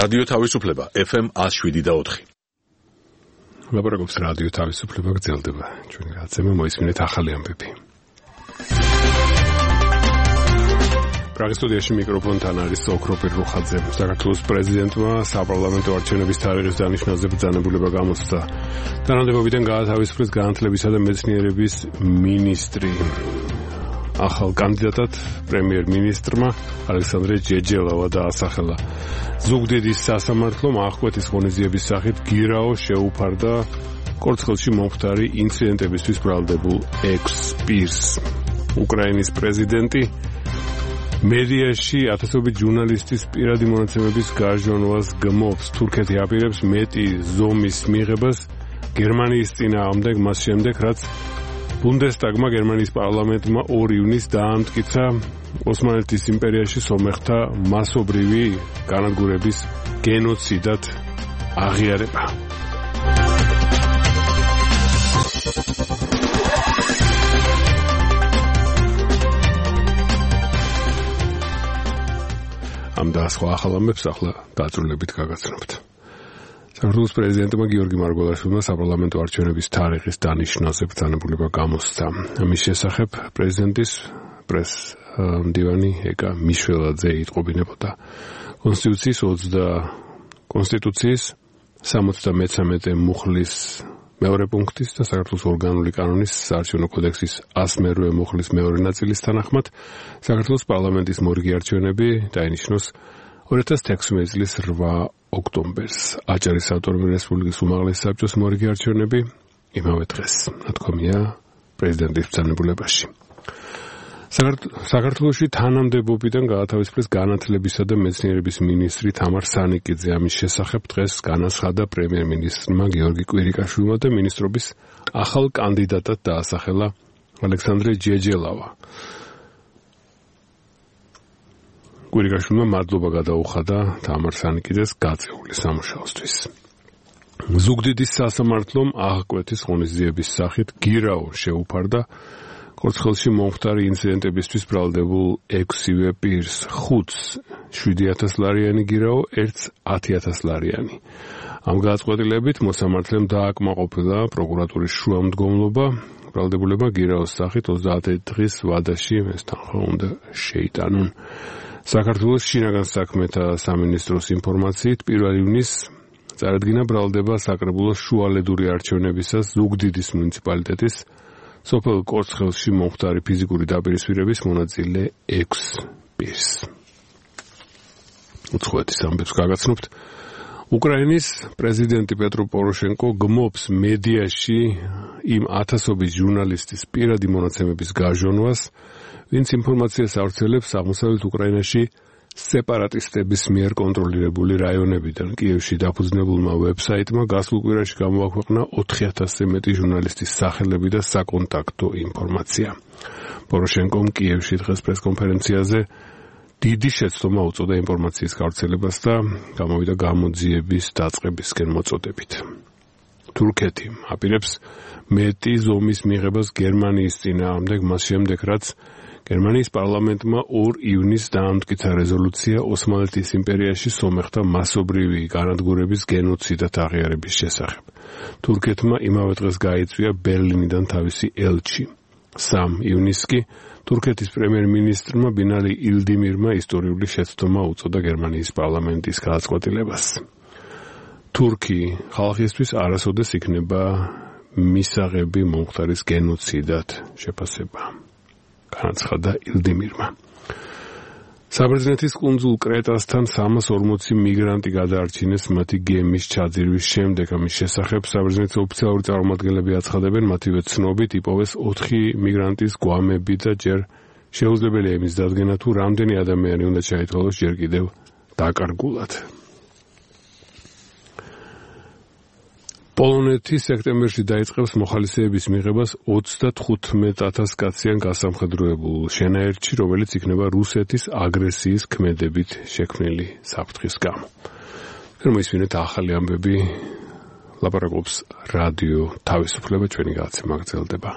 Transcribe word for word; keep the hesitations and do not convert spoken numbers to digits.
რადიო თავისუფლება ეფ ემ one oh seven point four. ლაპარაკობს რადიო თავისუფლება გრძელდება. ჩვენი რაცემა მოისმინეთ ახალი ამბები. პრაღის სტუდიაში მიკროფონთან არის ოქროპირ რუხაძე. საქართველოს პრეზიდენტმა საპარლამენტო არჩევნების თარიღის დანიშნაზე ბრძანებულება გამოსცა. თანამდებობიდან გაათავისუფლეს განათლებისა და მეცნიერების მინისტრი. ახალ კანდიდატად პრემიერ-მინისტრმა ალექსანდრე ჯეჯელავა დაასახელა. ზუგდიდის სასამართლომ აღკვეთის ღონისძიების სახით გირაო შეუფარდა კორცხელში მომხდარი ინციდენტებისთვის ბრალდებულ ექვს პირს. უკრაინის პრეზიდენტი მედიაში ათასობით ჟურნალისტის პირადი მონაცემების გარჟონვას გმობს. თურქეთი აპირებს მეტი ზომის მიღებას გერმანიის წინააღმდეგ, მას შემდეგ რაც ბუნდესტაგმა გერმანიის პარლამენტმა ორი ივნისს დაამტკიცა ოსმალეთის იმპერიაში სომეხთა მასობრივი განადგურების გენოციდად აღიარება. ამ და სხვა ახალ ამბებს ახლა დაწვრილებით გაგაცნობთ. საქართველოს პრეზიდენტმა გიორგი მარგველაშვილმა საპარლამენტო არჩევნების თარიღის დანიშნაზე ბრძანებულება გამოსცა. ამის შესახებ პრეზიდენტის პრეს-მდივანი ეკა მიშველაძე იტყობინებოდა. კონსტიტუციის კონსტიტუციის სამოცდამეცამეტე მუხლის მეორე პუნქტის და საქართველოს ორგანული კანონის საარჩევნო კოდექსის one oh nine მუხლის მეორე ნაწილის თანახმად საქართველოს პარლამენტის მორიგი არჩევნები დაინიშნოს two thousand sixteen წლის eight ოქტომბერს. აჭარის ავტონომიური რესპუბლიკის უმაღლესი საბჭოს მორიგი არჩევნები იმავე დღეს. ნათქვამია პრეზიდენტის ბრძანებულებაში. საქართველოში თანამდებობიდან გაათავისუფლეს განათლებისა და მეცნიერების მინისტრი თამარ სანიკიძე. ამის შესახებ დღეს განაცხადა პრემიერ-მინისტრმა გიორგი კვირიკაშვილმა და მინისტრობის ახალ კანდიდატად დაასახელა ალექსანდრე ჯეჯელავა. კვირიკაშვილმა მადლობა გადაუხადა თამარ სანიკიძეს გაწეული სამუშაოსთვის. ზუგდიდის სასამართლომ აღკვეთის ღონისძიების სახით გირაო შეუფარდა კორცხელში მომხდარი ინციდენტებისთვის ბრალდებულ ექვსივე პირს. ხუთს შვიდი ათას ლარიანი გირაო, ერთს ათი ათას ლარიანი. ამ გადაწყვეტილებით მოსამართლემ დააკმაყოფილა პროკურატურის შუამდგომლობა. ბრალდებულება გირაოს სახით ოცდაათი დღის ვადაში ეს თანხა უნდა შეიტანონ. საქართველოს შინაგან საქმეთა სამინისტროს ინფორმაციით პირველ ივნისს წარადგინა ბრალდება საკრებულოს შუალედური არჩევნებისას ზუგდიდის მუნიციპალიტეტის სოფელ კორცხელში მომხდარი ფიზიკური დაპირისპირების მონაწილე ექვს პირს. უცხოეთის ამბებს გაგაცნობთ. უკრაინის პრეზიდენტი პეტრო პოროშენკო გმობს მედიაში იმ ათასობით ჟურნალისტის პირადი მონაცემების გაჟონვას, ვინც ინფორმაციას ავრცელებს აღმოსავლეთ უკრაინაში სეპარატისტების მიერ კონტროლირებული რაიონებიდან. კიევში დაფუძნებულმა ვებსაიტმა გასულ კვირაში გამოაქვეყნა ოთხი ათასზე მეტი ჟურნალისტის სახელები და საკონტაქტო ინფორმაცია. პოროშენკომ კიევში დღეს პრესკონფერენციაზე დიდი შეცდომა უწოდა ინფორმაციის გავრცელებას და გამოვიდა გამოძიების დაწყებისკენ მოწოდებით. თურქეთი აპირებს მეტი ზომის მიღებას გერმანიის წინააღმდეგ, მას შემდეგ რაც გერმანიის პარლამენტმა ორ ივნისს დაამტკიცა რეზოლუცია ოსმალეთის იმპერიაში სომეხთა მასობრივი განადგურების გენოციდად აღიარების შესახებ. თურქეთმა იმავე დღეს გაიწვია ბერლინიდან თავისი ელჩი. სამ ივნისს კი თურქეთის პრემიერ-მინისტრმა ბინალი ილდიმირმა ისტორიული შეცდომა უწოდა გერმანიის პარლამენტის გადაწყვეტილებას. თურქი ხალხისთვის არასოდეს იქნება მისაღები მომხდარის გენოციდად შეფასება. განაცხადა ილდიმირმა. საბერძნეთის კუნძულ კრეტასთან სამას ორმოცი მიგრანტი გადაარჩინეს მათი გემის ჩაძირვის შემდეგ. ამის შესახებ საბერძნეთის ოფიციალური წარმომადგენლები აცხადებენ, მათივე ცნობით იპოვეს ოთხი მიგრანტის გვამები და ჯერ შეუძლებელია იმის დადგენა, თუ რამდენი ადამიანი უნდა ჩაითვალოს ჯერ კიდევ დაკარგულად. პოლონეთი სექტემბერში დაიწყებს მოხალისეების მიღებას ოცდათხუთმეტ ათას კაციან გასამხედროებულ შენაერთში, რომელიც იქნება რუსეთის აგრესიის ქმედებით შექმნილი საფრთხის გამო. მოისმინეთ ახალი ამბები, ლაპარაკობს რადიო თავისუფლება, ჩვენი გადაცემა გრძელდება.